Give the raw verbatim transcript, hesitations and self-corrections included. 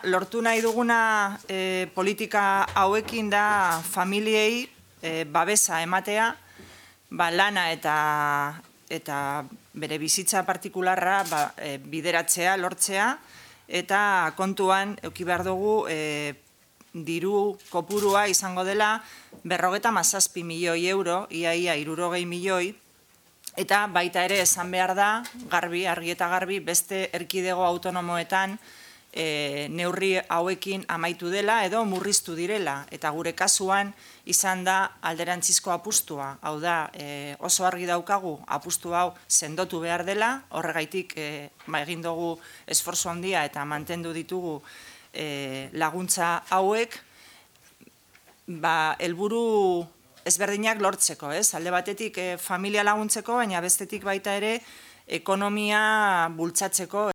Lortu nahi duguna e, politika hauekin da familiei e, babesa ematea, ba, lana eta, eta bere bizitza partikularra ba, e, bideratzea, lortzea, eta kontuan eduki behar dugu e, diru kopurua izango dela berrogeta mazazpi milioi euro, iaia hirurogei milioi, eta baita ere esan behar da, garbi, argi eta garbi, beste erkidego autonomoetan E, neurri hauekin amaitu dela edo murriztu direla, eta gure kasuan izan da alderantzizko apustua. Hau da, e, oso argi daukagu apustu hau sendotu behar dela, horregaitik e, ba, egin dugu esfortzu handia eta mantendu ditugu e, laguntza hauek, ba, helburu ezberdinak lortzeko, ez? Alde batetik e, familia laguntzeko, baina bestetik baita ere ekonomia bultzatzeko